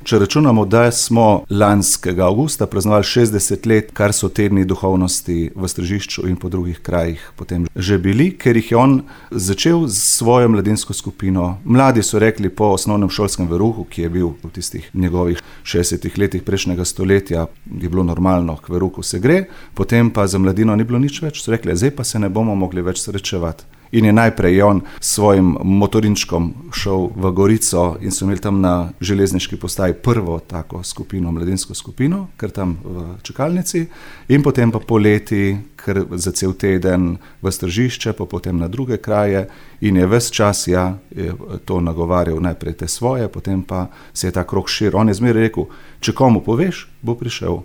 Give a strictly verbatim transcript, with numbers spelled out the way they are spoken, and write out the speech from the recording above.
Če računamo, da smo lanskega avgusta praznovali šestdeset let, kar so tedni duhovnosti v Stražišču in po drugih krajih potem že bili, ker jih je on začel s svojo mladinsko skupino. Mladi so rekli po osnovnem šolskem veruhu, ki je bil v tistih njegovih šestdesetih letih prejšnjega stoletja, je bilo normalno, k veruhu se gre, potem pa za mladino ni bilo nič več, so rekli, zdaj pa se ne bomo mogli več srečevati. In je najprej on s svojim motorinčkom šel v Gorico in so imeli tam na železniški postaji prvo tako skupino, mladinsko skupino, ker tam v čakalnici, in potem pa poleti, ker za cel teden v Stražišče, pa potem na druge kraje, in je ves čas ja, je to nagovarjal najprej te svoje, potem pa se je ta krog širil. On je zmeraj rekel, če komu poveš, bo prišel.